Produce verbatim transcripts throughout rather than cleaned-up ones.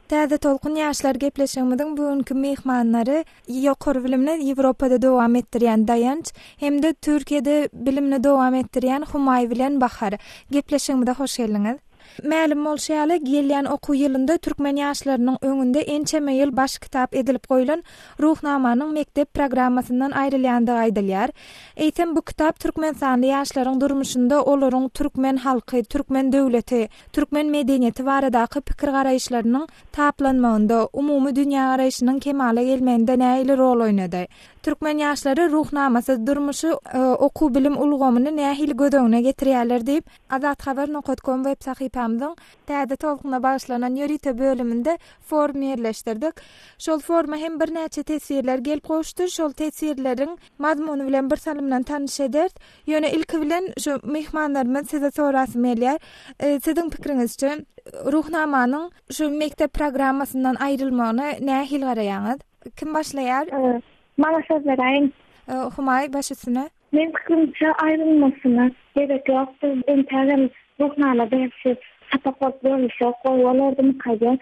Täze Tolkun ýaşlar gepleşigimiziň bu günki myhmanlary ýokary bilimini Ýewropada dowam etdirýän Daýanç hem-de Türkiýede bilimini dowam etdirýän Humaý bilen Bahar. Gepleşigimize hoş geldiňiz. Mälim bolşy ýaly, gelýän okuw ýylynda türkmen ýaşlarynyň öňünde ençeme ýyl baş kitap edilip goýlan Ruhnamanyň mekdep programmasyndan aýrylýandygy aýdylýar. Eýsem bu kitap türkmenistanly ýaşlaryň durmuşynda olaryň türkmen halky, türkmen döwleti, türkmen medeniýeti baradaky pikir-garaýyşlarynyň taplanmagynda, umumy dünýägaraýşynyň kemala gelmeginde nähili rol oýnady? Türkmen ýaşlary Ruhnamasyz durmuşy, okuw-bilim ulgamyny nähili göz öňüne getirýärler diýip, Azathabar nokat kom web sahypamyzyň Täze tolkuna bagyşlanan ýörite bölüminde forum ýerleşdirdik. Şol foruma hem birnäçe teswirler gelip gowuşdy. Şol teswirleriň mazmuny bilen bir salymdan tanyş ederis. Ýöne ilki bilen şu myhmanlarymyz size sorasym gelýär. Siziň pikiriňizçe Ruhnamanyň şu mekdep programmasyndan aýrylmagyna nähili garaýaňyz? Kim başlaýar? Maňa söz beräýiň. Humaý, baş üstüne. Meň pikirimçe aýrylmasyna gerek ýokdur. Entägem Ruhnama dersi sapak bolup görülse gowy bolardymyka diýýän.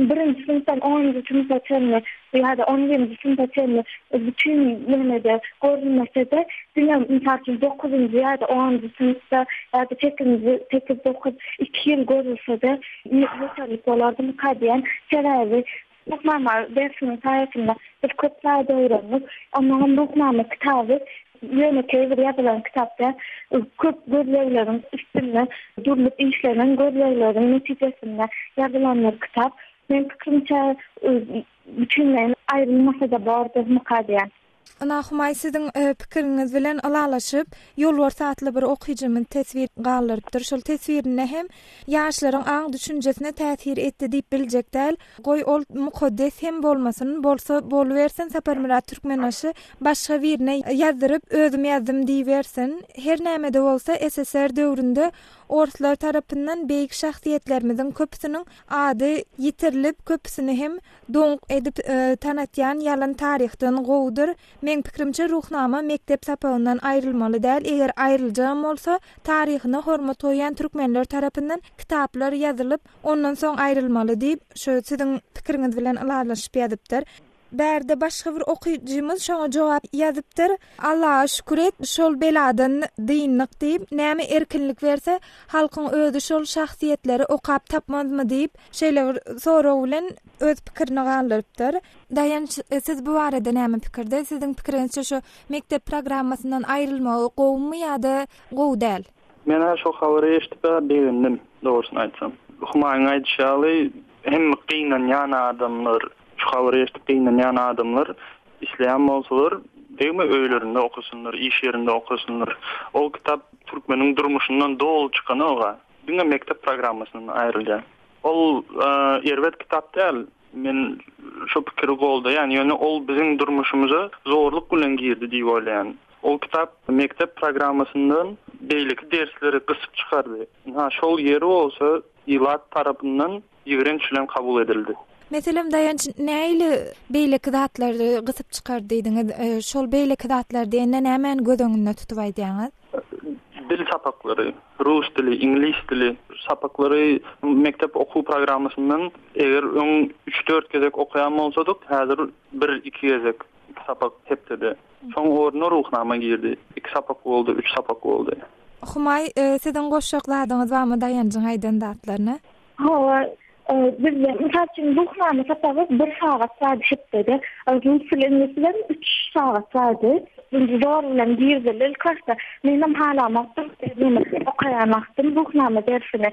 Birinji synpdan onunjy synpa çenli ýa-da on birinji synpa çenli bütin ýemede görülmese-de, diňe mysal üçin dokuzynjy ýa-da onunjy synpda ýa-da sekizinji, sekiz, dokuz, iki ýyl görülse-de ýeterlik bolardymyka diýýän. Sebäbi Ruhnama dersiniň saýasynda biz köp zat öwrendik. Onnoňam Ruhnama kitaby ýönekeý bir ýazylan kitap däl. Köp gözlegleriň üstünde durlup işlenen gözlegleriň netijesinde ýazylan bir kitap. Meň pikirimçe, bütinleýin aýrylmasa-da bordurmyka diýýän. Ynha, Humaý, siziň pikiriňiz bilen ylalaşyp, Ýolbars atly bir okyjymyz teswir galdyrypdyr. Şol teswirinde hem ýaşlaryň aň-düşünjesine täsir etdi diýip biljek däl. Goý, ol mukaddes hem bolmasyn, bolsa bolubersin, Saparmyrat Türkmenbaşy başga birine ýazdyryp, özüm ýazdym diýibersin. Her näme-de bolsa, S S R döwründe orslar tarapyndan beýik şahsyýetlerimiziň köpüsiniň ady ýitirilip, köpüsini hem doňuk edip tanatýan ýalan taryhdan gowudyr. Meň pikirimçe, Ruhnama mekdep sapagyndan aýrylmaly däl, eger aýryljagam bolsa, taryhyna hormat goýýan türkmenler tarapyndan kitaplar ýazylyp, ondan soň aýrylmaly diýip, şu siziň pikiriňiz bilen ylalaşyp ýazypdyr. Bärde başga bir okyjymyz şoňa jogap ýazypdyr. Allaha şükür et, şol beladan dyndyk diýip, näme erkinlik berse, halkyň özi şol şahsyýetleri okap tapmazmy diýip, şeýle bir sorag bilen öz pikirini galdyrypdyr. Daýanç, siz bu barada näme pikirde? Siziň pikiriňizçe şu mekdep programmasyndan aýrylmagy gowumy ýa-da gowy däl? Men şo habary eşidip begendim, dogrusyny aýtsam. Humaýyň aýdyşy ýaly, hem gynanýan adamlar, şu habary eşidip gynanýan adamlar isleýän bolsalar, degme öýlerinde okusynlar, iş ýerinde okusynlar. Ol kitap türkmeniň durmuşyndan doly çykanok, diňe mekdep programmasyndan aýrylýar. Ol erbet kitap däl. Men şu pikiri goldaýan, ýöne ol biziň durmuşymyza zorluk bilen girdi diýip oýlaýan. Ol kitap mekdep programmasyndan beýleki dersleri gysyp çykardy. Ha, şol ýeri bolsa ilat tarapyndan ýigrenç bilen kabul edildi. Meselem, Daýanç, nähili beýleki zatlary gysyp çykardy diýdiňiz? Şol beýleki zatlar diýende nämäni göz öňünde tutup aýdýaňyz? Dil sapaklary, rus dili, iňlis dili sapaklary mekdep okuw programmasyndan eger öň üç-dört gezek okaýan bolsadyk, häzir bir-iki gezek, iki sapak hepdede. Soň ornuna Ruhnama girdi. Iki sapak boldy, üç sapak boldy. Humaý, siziň goşjak zadyňyz barmy Daýanjyň aýdan zatlaryna? Hawa, bizde mysal üçin Ruhnama sapagy bir sagat bardy hepdede. Rus dili, iňlis dili üç sagat bardy. Zor bilen girdildi ilk başda. Menem halamakdym, men okaýan wagtym Ruhnama dersini.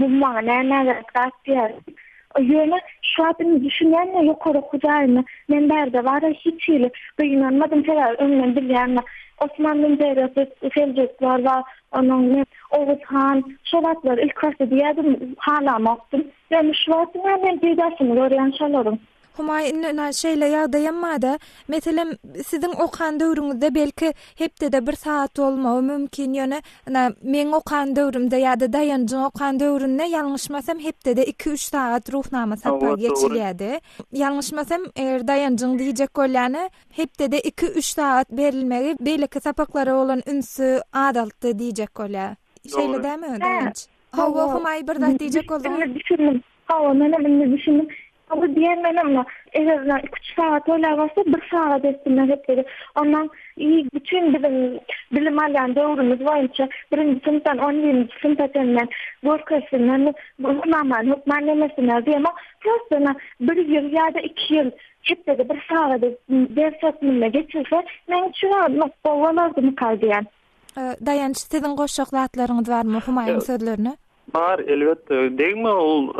Bu maňa näme gerek zat diýär. Ýöne şu wagt indi düşünýän ýokary okuw jaýynda men bärde bara hiç hili gynanmadym, sebäbi öňden bilýän Osmanly imperiýasy, Seljuklar bar, onuň Oguz han, şo wagtlar ilk başda diýýärdim, halamakdym. Ýöne şu wagt men peýdasyny görýän şolaryň. Humaý, indi şeýle ýagdaýam bar-da, meselem, siziň okan döwrüňizde belki hepdede bir saat bolmagy mümkin, ýöne meň okan döwrümde ýa-da Daýanjyň okan döwründe ýalňyşmasam hepdede iki-üç sagat Ruhnama sapagy geçilýärdi. Ýalňyşmasam, eger Daýanjyň diýjek bolýany, hepdede iki-üç sagat berilmegi beýleki sapaklara bolan ünsi azaltdy diýjek bolýar. Şeýle dämi, Daýanç? Hawa, Humaý, bir zat diýjek bolduň. Düşündim. Hawa, menem indi düşündim. Bu diýen menem eger üç sagat oýlap bolsa bir sagat etsinler hepdede. Ondan iyi bütün biziň bilim alýan döwrümiz boýunça birinji synpdan on birinji synpa çenli görkezsinler, bu Ruhnamany hökman nemesinler diýemok. Prosta bir ýyl ýa-da iki ýyl hepdede bir sagat ders hökmünde geçirse, men üçin gowy bolardy diýen. Daýanç, siziň goşjak zatlaryňyz barmy Humaýyň sözlerine? Bar, elbetde. Degme ol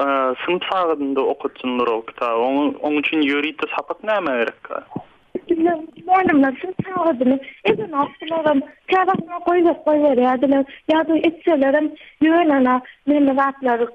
synp sagadynda okutsynlar ol kitaby. Oň, oň üçin ýörite sapak näme gerek? Bizler muallimler synp sagadyny eden okdylaram, käwagtlar goýup goýberýärdiler. Ýa-da etselerem ýöne neme zatlary,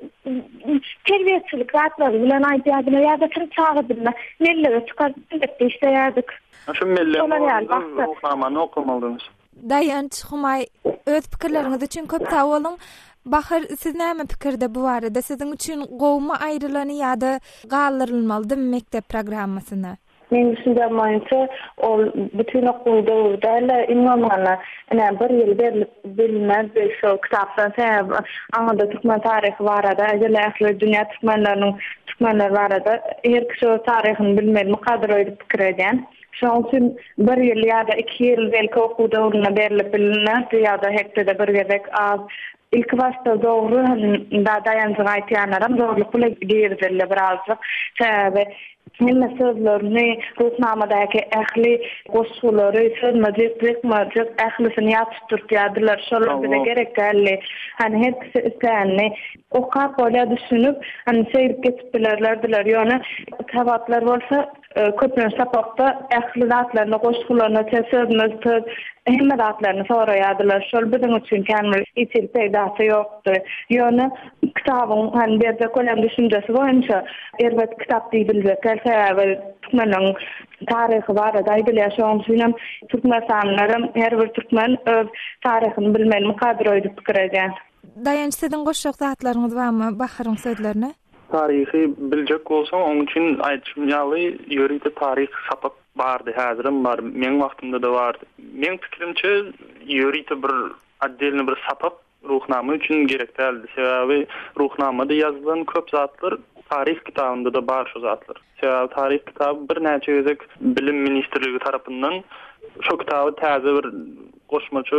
terbiýeçilik zatlary bilen aýdýardylar ýa-da synp sagadynda mellere çykaryp birlikde işleýärdik. Şu melle Şolar ýaly wagtda. Ruhnamany okamalydyňyz. Daýanç, Humaý, öz pikirleriňiz üçin köp sag boluň. Bahar, siz näme pikirde bu barada? Siziň üçin gowmy aýrylany ýa-da galdyrylmalydymy mekdep programmasyna? Men düşündüğüm boýunça ol bütün okuw döwri däl, iň bolmanda ine bir ýyl berilip bilinmez şo kitapdan sebäbi aňada türkmen taryhy barada, ähli ähli dünýä türkmenleriniň türkmenler barada her kişi öz taryhyny bilmeli mukaddar öýdüp pikir edýän. Şonuň üçin bir ýyl ýa-da iki ýyl belki okuw döwründe berilip bilinmez ýa-da hepdede bir gezek az. İlk başda dogry, hani da daýanjyk aýtýanlaram dogrulyk bilen girizildi birazjyk. Sebäbi hemme sözlerini, Ruhnamadaky ähli goşgulary, sözmejik, jykmajyk ählisini ýat tutdurýardylar. Şolar bize gerek däldi. Hani her kişi isleýänini okap bolýar düşünip, hani şeýdip geçip bilerlerdiler. Ýöne tabaklar bolsa, e, köplenç sapakda ähli zatlaryny, goşgularyny, sözmez söz hemme zatlaryny soraýardylar. Şol biziň üçin kämil hiç peýdasy ýokdy. Ýöne kitabyň hani berjek bolan düşünjesi boýunça erbet kitap diýip biljek sebäbi türkmeniň taryhy barada aýdylýar. Şonuň üçin hem Türkmenistanlylaram her bir türkmen öz taryhyny bilmeli mukaddar öýdüp pikir edýär. Daýanç, siziň goşjak zatlaryňyz barmy Baharyň sözlerine? Taryhy biljek bolsaň, onuň üçin aýtşym ýaly ýörite taryh sapak bardy, häzirem bar, meň wagtymda da bardy. Meň pikirimçe ýörite bir отдельный bir sapak Ruhnama üçin gerek däldi. Sebäbi Ruhnamada ýazylan köp zatlar taryh kitabynda da bar şu zatlar. Sebäbi taryh kitaby birnäçe gezek bilim ministrligi tarapyndan şu kitaby täze bir goşmaça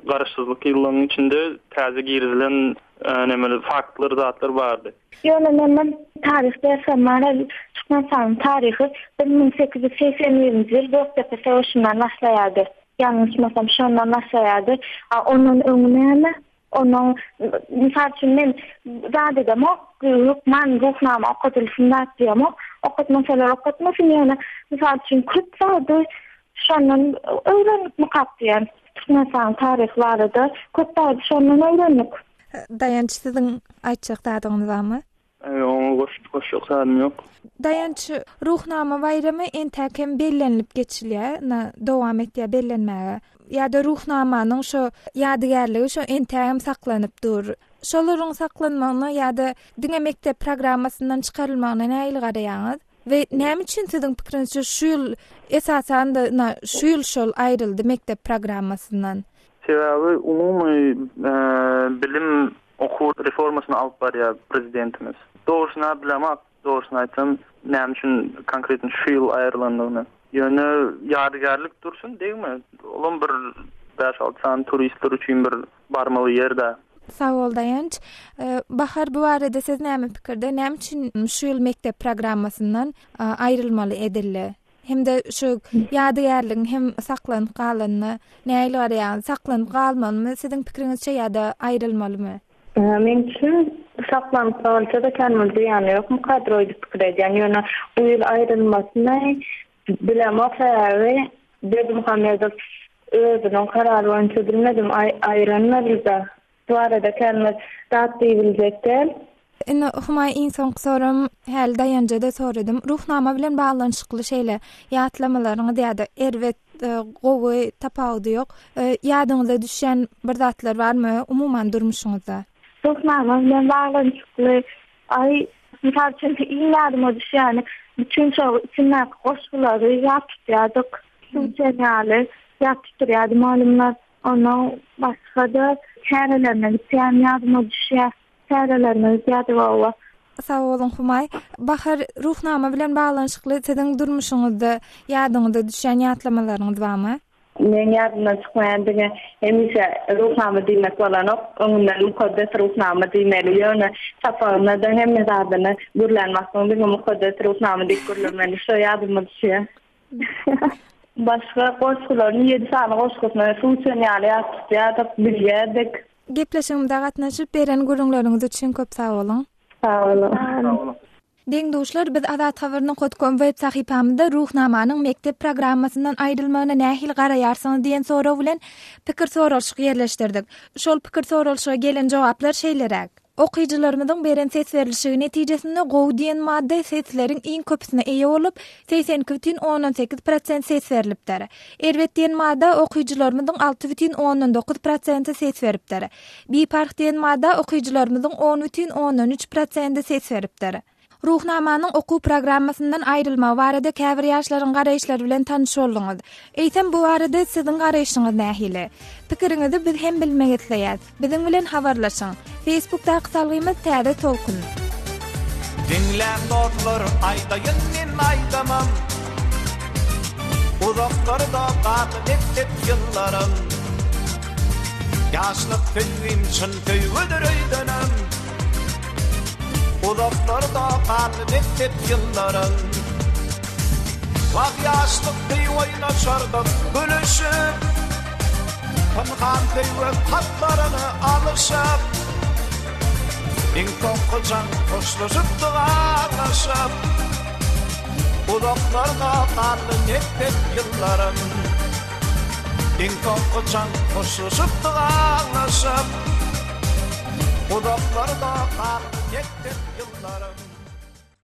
garaşsyzlyk ýyllarynyň içinde täze girizilen, e, nemeli faktlar, zatlar bardy. Ýöne men taryh dersem bar, Türkmenistanyň taryhy bir müň sekiz ýüz segsen birinji ýyl Gökdepe söweşinden başlaýardy. Ýalňyşmasam şondan başlaýardy. A ondan öňi näme? Onuň, mysal üçin men zat edemok, hökman Ruhnama okadylsyn zat diýemok. Okatmasalar okatmasyn, ýöne mysal üçin köp zady şondan öwrenip mukap diýen. Türkmenistanyň taryhy barada köp zady şondan öwrendik. Daýanç, siziň aýtjak zadyňyz barmy? Eý, oňa goş-, goşjak zadym ýok. Daýanç, Ruhnama baýramy entäk hem bellenilip geçilýär, na dowam etýär bellenmäge. Ýa-da Ruhnamanyň şo ýadygärligi şo entäk hem saklanyp dur. Şolaryň saklanmagyna ýa-da diňe mekdep programmasyndan çykarylmagyna nähili garaýaňyz? We näme üçin siziň pikiriňizçe şu ýyl esasan da na şu ýyl şol aýryldy mekdep programmasyndan? Sebäbi umumy, e, bilim okuw reformasyny alyp barýar prezidentimiz. Dogrusyny bilemok, dogrusyny aýtsam, näme üçin konkretno şu ýyl aýrylandygyny. Ýöne ýadygärlik dursun, degme. Olam bir bäş alty sany turistler üçin bir barmaly ýerde. Sag bol Daýanç. E, Bahar, bu barada siz näme pikirde? Näme üçin şu ýyl mekdep programmasyndan, e, aýrylmaly edildi? Hem-de şu ýadygärligiň hem saklanyp galanyna nähili garaýaňyz? Saklanyp galmalymy siziň pikiriňizçe ýa-da aýrylmalymy? E, men üçin saklanyp galsa da kämil diýýän ýok, mukadder öýdüp pikir edýän. Ýöne bu ýyl aýrylmasyny bilemok, sebäbi Berdimuhamedow özüniň karary boýunça bilmedim, aý-, aýrylmaly-da. Bu arada kämil zat diýibiljek däl. Indi Humaý iň soňky sorum, häli Daýanja-da soradym. Ruhnama bilen baglanyşykly şeýle ýatlamalaryňyz ýa-da erbet, e, gowy tapawudy ýok. E, ýadyňyza düşýän bir zatlar barmy umuman durmuşyňyzda? Ruhnama bilen baglanyşykly, aý, mysal üçin iň ýadyma düşýäni bütün şo içindäki goşgulary ýat tutýardyk. Suw ýaly ýat tutýardy malumlar. Ondan başga-da çärelerine gitýän ýadyma düşýär. Çärelerine gitýärdik owa. Sag boluň Humaý. Bahar, Ruhnama bilen baglanyşykly siziň durmuşyňyzda ýadyňyza düşýän ýatlamalaryňyz barmy? Meň ýadymdan çykmaýan diňe hemişe Ruhnama diýmek bolanok, öňünden Mukaddes Ruhnama diýmeli. Ýöne sapagyna-da hemme zadyny gürlän wagtyň diňe Mukaddes Ruhnama diýip gürlemeli. Şo ýadyma düşýär. Başga goşgularyny ýedi sany goşgusyny suw içen ýaly ýat tutýardyk, bilýärdik. Gepleşigimize gatnaşyp beren gürrüňleriňiz üçin köp sag boluň. Sag boluň. Sag boluň. Deň-duşlar, biz Azat Habar nokat kom web sahypamyzda Ruhnamanyň mekdep programmasyndan aýrylmagyna nähili garaýarsyňyz diýen sorag bilen pikir soralyşyk ýerleşdirdik. Şol pikir soralyşyga gelen jogaplar şeýleräk. Okyjylarymyzyň beren ses berlişigi netijesinde gowy diýen madda sesleriň iň köpüsine eýe bolup, segsen iki bütin ondan sekiz prosent ses berlipdir. Erbet diýen madda okyjylarymyzyň alty bütin ondan dokuz prosenti ses beripdir. Biparh diýen madda okyjylarymyzyň on bütin ondan üç prosenti ses beripdir. Ruhnamanyň okuw programmasyndan aýrylmagy barada käbir ýaşlaryň garaýyşlary bilen tanyş bolduňyz. Eýsem bu barada siziň garaýşyňyz nähili? Pikiriňizi biz hem bilmek isleýäs. Biziň bilen habarlaşyň. Facebookdaky salgymyz Täze Tolkun. Diňläň dostlar, aýdaýyn men aýdamam. Uzaklarda galdy mekdep ýyllarym. Ýaşlyk söýgim çyn söýgüdir öýdenem. Uzaklarda galdy mekdep ýyllarym. Wah ýaşlyk deý oýnaşardyk gülüşip. Pynhan söýgi hatlaryny alyşyp. Iň soňky jan hoşlaşypdyk aglaşyp. Uzaklarda galdy mekdep ýyllarym. Iň soňky jan hoşlaşypdyk aglaşyp. Uzaklarda galdy mekdep ýyllarym.